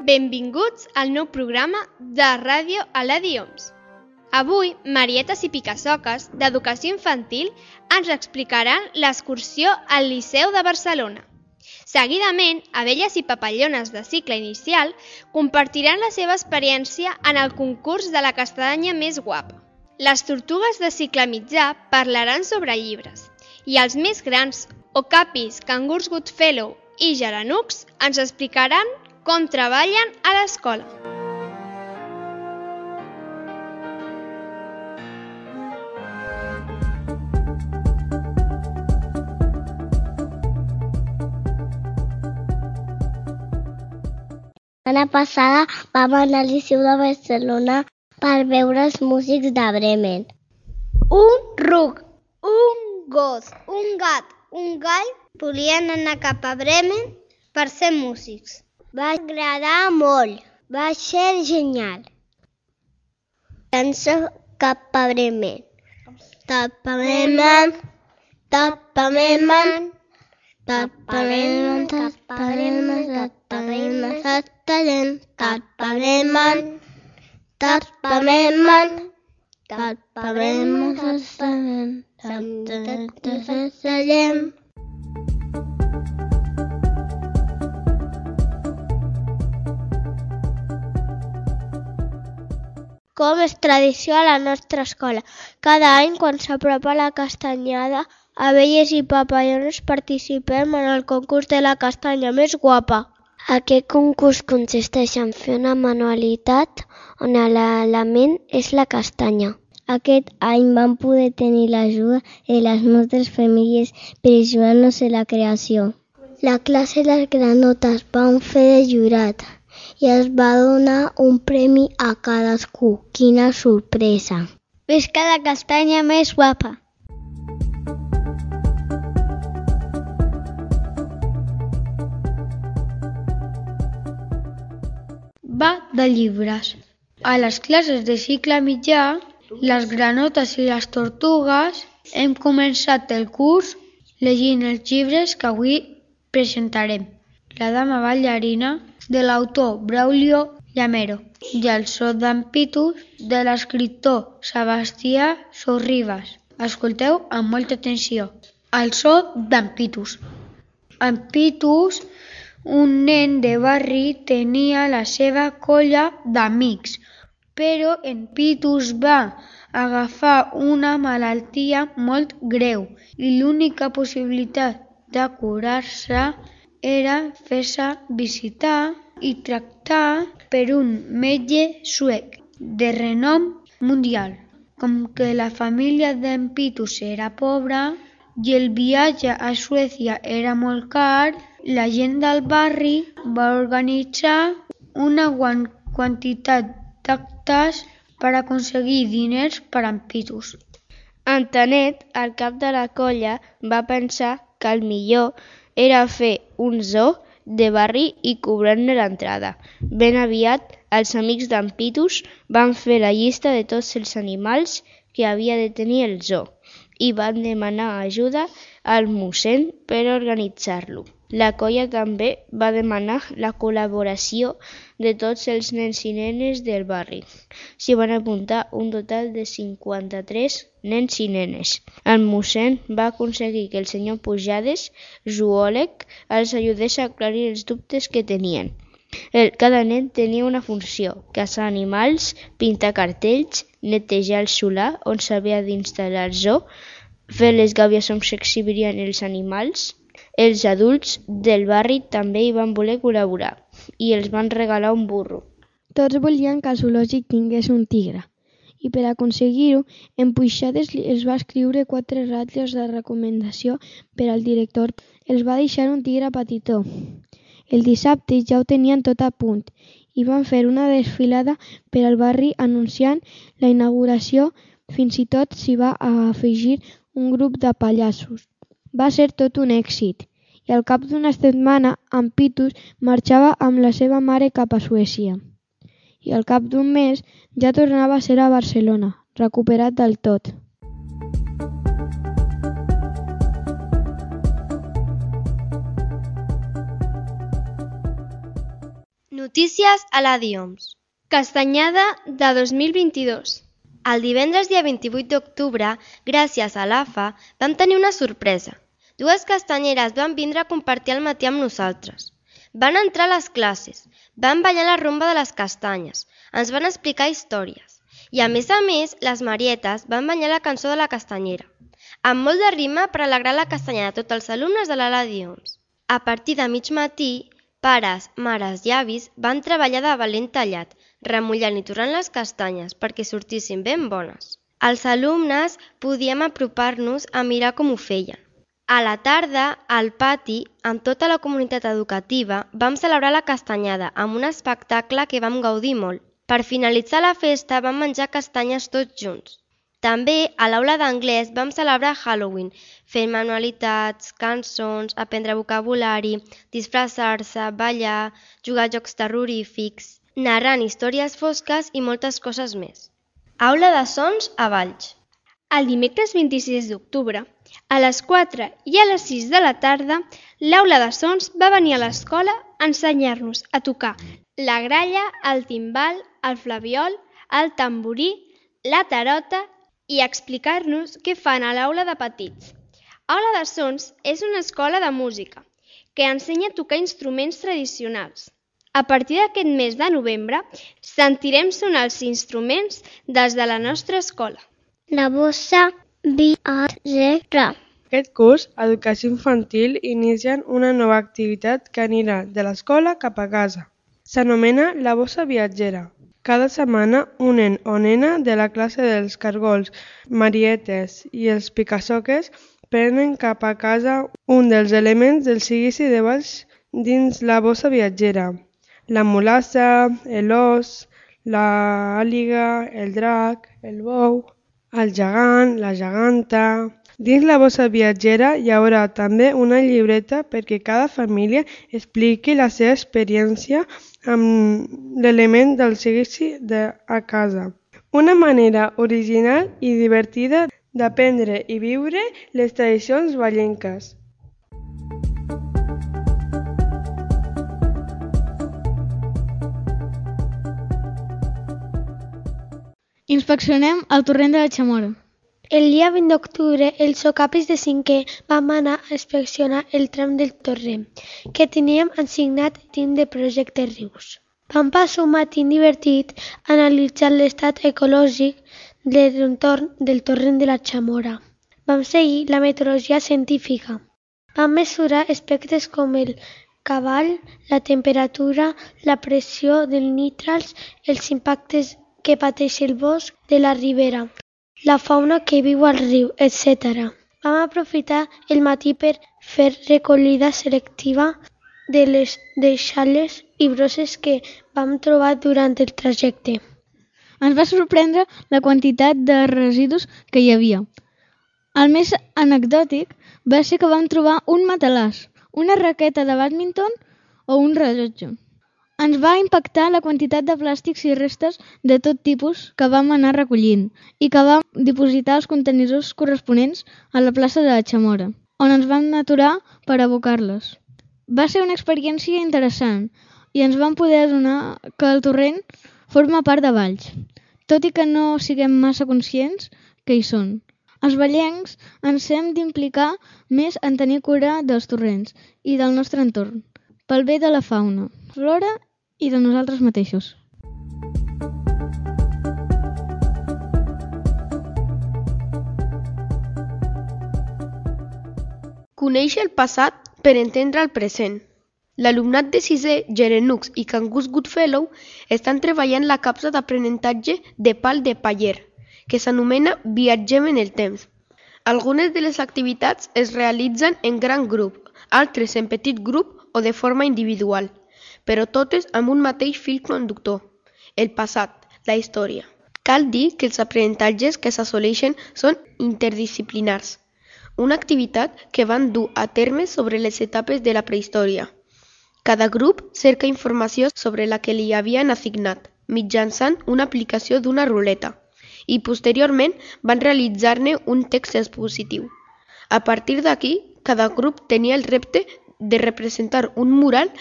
Benvinguts al nou programa de Ràdio Aladi Oms. Avui, Marietes i Picassoques, d'Educació Infantil, ens explicaran l'excursió al Liceu de Barcelona. Seguidament, Abelles i Papallones de cicle inicial compartiran la seva experiència en el concurs de la castanya més guapa. Les tortugues de cicle mitjà parlaran sobre llibres i els més grans, Okapis, Cangurs Goodfellow i Geranucs, ens explicaran com treballen a l'escola. La setmana passada vam anar al Liceu de Barcelona per veure els músics de Bremen. Un ruc, un gos, un gat, un gall volien anar cap a Bremen per ser músics. Va agradar molt, va ser genial. Dansa cap a Bremen. Cap a Bremen, cap a Bremen, cap a Bremen, cap a Bremen, cap a Bremen, cap a Bremen, cap a Bremen, cap a Bremen, Com és tradició a la nostra escola. Cada any, quan s'apropa la castanyada, Abelles i Papallones participem en el concurs de la castanya més guapa. Aquest concurs consisteix en fer una manualitat on l'element és la castanya. Aquest any vam poder tenir l'ajuda de les nostres famílies per ajudar-nos en la creació. La classe de les granotes van fer de jurat i es va donar un premi a cadascú. Quina sorpresa! Visca la castanya més guapa! Va de llibres. A les classes de cicle mitjà, les granotes i les tortugues, hem començat el curs llegint els llibres que avui presentarem. La dama ballarina, de l'autor Braulio Llamero, i el so d'en Pitus, de l'escriptor Sebastià Sorribas. Escolteu amb molta atenció. El so d'en Pitus. En Pitus, un nen de barri, tenia la seva colla d'amics, però en Pitus va agafar una malaltia molt greu i l'única possibilitat de curar-se era fer-se visitar i tractar per un metge suec de renom mundial. Com que la família d'en Pitus era pobra i el viatge a Suècia era molt car, la gent del barri va organitzar una gran quantitat d'actes per aconseguir diners per a en Pitus. En Tanet, el cap de la colla, va pensar que el millor era fer un zoo de barri i cobrar-ne l'entrada. Ben aviat, els amics d'en Pitus van fer la llista de tots els animals que havia de tenir el zoo i van demanar ajuda al mossèn per organitzar-lo. La colla també va demanar la col·laboració de tots els nens i nenes del barri. S'hi van apuntar un total de 53 nens i nenes. El mossèn va aconseguir que el senyor Pujades, zoòleg, els ajudés a aclarir els dubtes que tenien. Cada nen tenia una funció: caçar animals, pintar cartells, netejar el solar on s'havia d'instal·lar el zoo, fer les gàbies on s'exhibirien els animals. Els adults del barri també hi van voler col·laborar i els van regalar un burro. Tots volien que el zoològic tingués un tigre i per aconseguir-ho, en Pujades els va escriure 4 ratlles de recomanació per al director. Els va deixar un tigre petitó. El dissabte ja ho tenien tot a punt i van fer una desfilada per al barri anunciant la inauguració. Fins i tot s'hi va afegir un grup de pallassos. Va ser tot un èxit i al cap d'una setmana en Pitus marxava amb la seva mare cap a Suècia. I al cap d'un mes ja tornava a ser a Barcelona, recuperat del tot. Notícies a la DIOMS. Castanyada de 2022. El divendres dia 28 d'octubre, gràcies a l'AFA, vam tenir una sorpresa. 2 castanyeres van vindre a compartir el matí amb nosaltres. Van entrar a les classes, van ballar la rumba de les castanyes, ens van explicar històries. I a més, les Marietes van ballar la cançó de la castanyera, amb molt de rima per alegrar la castanyada a tots els alumnes de l'ala DIOMS. A partir de mig matí, pares, mares i avis van treballar de valent tallat, remullant i torrant les castanyes perquè sortissin ben bones. Els alumnes podíem apropar-nos a mirar com ho feien. A la tarda, al pati, amb tota la comunitat educativa, vam celebrar la castanyada amb un espectacle que vam gaudir molt. Per finalitzar la festa vam menjar castanyes tots junts. També, a l'aula d'anglès vam celebrar Halloween, fent manualitats, cançons, aprendre vocabulari, disfressar-se, ballar, jugar a jocs terrorífics, narrant històries fosques i moltes coses més. Aula de sons a Valls. El dimecres 26 d'octubre, a les 4 i a les 6 de la tarda, l'aula de sons va venir a l'escola a ensenyar-nos a tocar la gralla, el timbal, el flabiol, el tamborí, la tarota i a explicar-nos què fan a l'aula de petits. Aula de Sons és una escola de música que ensenya a tocar instruments tradicionals. A partir d'aquest mes de novembre sentirem sonar els instruments des de la nostra escola. La bossa viatgera. Aquest curs, Educació Infantil, inicien una nova activitat que anirà de l'escola cap a casa. S'anomena la bossa viatgera. Cada setmana, un nen o nena de la classe dels cargols, marietes i els picassoques prenen cap a casa un dels elements del seguici de Valls dins la bossa viatgera. La mulassa, l'os, l'àliga, el drac, el bou, el gegant, la geganta. Dins la bossa viatgera hi haurà també una llibreta perquè cada família expliqui la seva experiència amb l'element del seguici a casa. Una manera original i divertida d'aprendre i viure les tradicions vallenques. Inspeccionem el torrent de la Chamora. El dia 20 d'octubre, els socapis de 5è vam anar a inspeccionar el tram del torrent que teníem assignat dins del projecte Rius. Vam passar un matí divertit analitzant l'estat ecològic de l'entorn del torrent de la Chamora. Vam seguir la metodologia científica. Vam mesurar aspectes com el cabal, la temperatura, la pressió dels nitrats, els impactes que pateix el bosc de la ribera, la fauna que viu al riu, etc. Vam aprofitar el matí per fer recollida selectiva de les deixalles i brosses que vam trobar durant el trajecte. Ens va sorprendre la quantitat de residus que hi havia. El més anecdòtic va ser que vam trobar un matalàs, una raqueta de bàdminton o un rellotge. Ens va impactar la quantitat de plàstics i restes de tot tipus que vam anar recollint i que vam dipositar als contenidors corresponents a la plaça de la Chamora, on ens vam aturar per abocar-les. Va ser una experiència interessant i ens vam poder adonar que el torrent forma part de Valls, tot i que no siguem massa conscients que hi són. Els vallencs ens hem d'implicar més en tenir cura dels torrents i del nostre entorn, pel bé de la fauna, flora i de nosaltres mateixos. Coneix el passat per entendre el present. L'alumnat de 6è, Gerenux i Cangus Goodfellow estan treballant la capsa d'aprenentatge de pal de paller, que s'anomena Viatgem en el temps. Algunes de les activitats es realitzen en gran grup, altres en petit grup o de forma individual, però totes amb un mateix fil conductor, el passat, la història. Cal dir que els aprenentatges que s'assoleixen són interdisciplinars, una activitat que van dur a terme sobre les etapes de la prehistòria. Cada grup cerca informació sobre la que li havien assignat, mitjançant una aplicació d'una ruleta, i posteriorment van realitzar-ne un text expositiu. A partir d'aquí, cada grup tenia el repte de representar un mural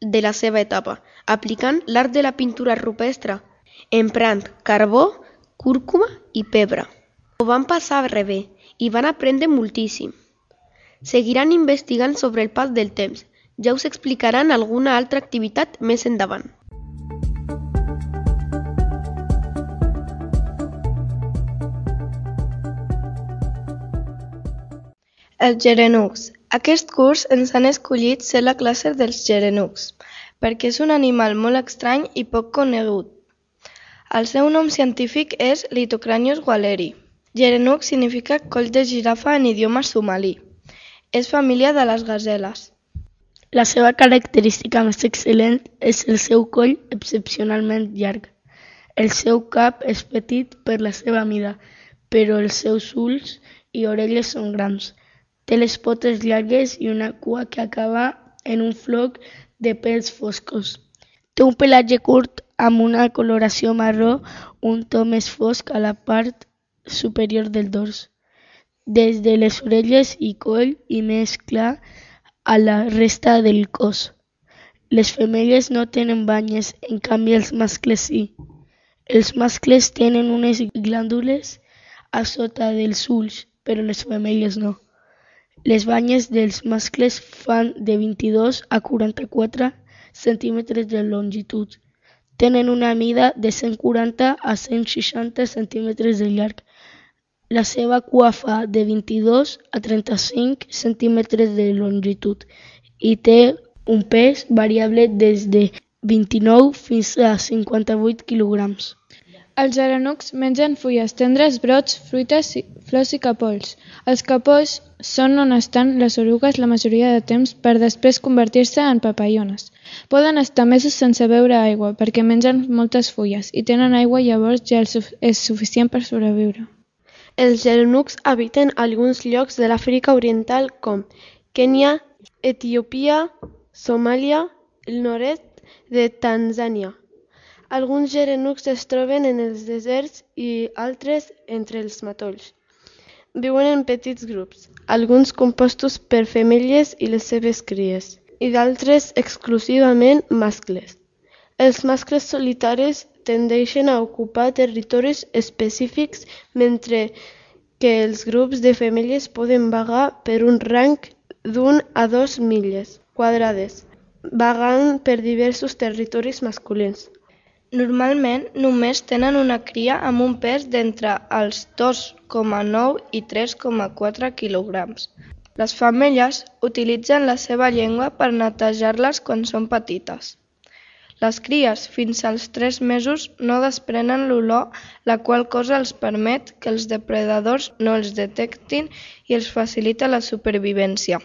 de la seva etapa, aplicant l'art de la pintura rupestre, emprant carbó, cúrcuma i pebre. Ho van passar rebé i van aprendre moltíssim. Seguiran investigant sobre el pas del temps. Ja us explicaran alguna altra activitat més endavant. Els gerenucs. Aquest curs ens han escollit ser la classe dels gerenucs, perquè és un animal molt estrany i poc conegut. El seu nom científic és Litocranius walleri. Gerenuc significa coll de girafa en idioma somalí. És família de les gaseles. La seva característica més excel·lent és el seu coll excepcionalment llarg. El seu cap és petit per la seva mida, però els seus ulls i orelles són grans. Té les potes llargues i una cua que acaba en un floc de pèls foscos. Té un pelatge curt amb una coloració marró, un to més fosc a la part superior del dors, des de les orelles i coll i més clar a la resta del cos. Les femelles no tenen banyes, en canvi els mascles sí. Els mascles tenen unes glàndules a sota dels ulls, però les femelles no. Les banyes dels mascles fan de 22 a 44 centímetres de longitud. Tenen una mida de 140 a 160 centímetres de llarg. La seva cua fa de 22 a 35 centímetres de longitud i té un pes variable des de 29 fins a 58 quilograms. Els gerenucs mengen fulles tendres, brots, fruites, flors i capolls. Els capolls són on estan les orugues la majoria de temps per després convertir-se en papallones. Poden estar mesos sense beure aigua perquè mengen moltes fulles i tenen aigua, llavors ja és suficient per sobreviure. Els gerenucs habiten alguns llocs de l'Àfrica Oriental com Kenya, Etiòpia, Somàlia, el nord-est de Tanzània. Alguns gerenucs es troben en els deserts i altres entre els matolls. Viuen en petits grups, alguns compostos per femelles i les seves cries, i d'altres exclusivament mascles. Els mascles solitaris tendeixen a ocupar territoris específics, mentre que els grups de femelles poden vagar per un rang d'1 a 2 milles quadrades, vagant per diversos territoris masculins. Normalment només tenen una cria amb un pes d'entre els 2,9 i 3,4 quilograms. Les femelles utilitzen la seva llengua per netejar-les quan són petites. Les cries, fins als 3 mesos, no desprenen l'olor, la qual cosa els permet que els depredadors no els detectin i els facilita la supervivència.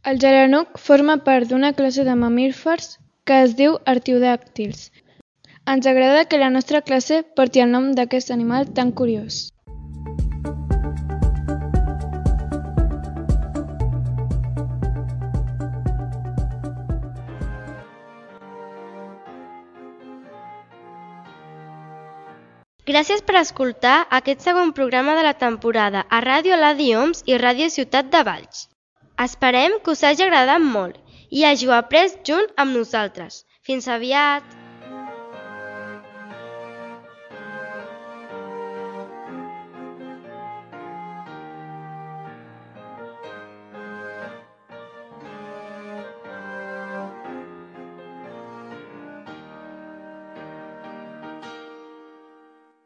El gerenuc forma part d'una classe de mamífers que es diu artiodàctils. Ens agrada que la nostra classe porti el nom d'aquest animal tan curiós. Gràcies per escoltar aquest segon programa de la temporada a Ràdio Aladi Oms i Ràdio Ciutat de Valls. Esperem que us hagi agradat molt i hàgiu après junt amb nosaltres. Fins aviat!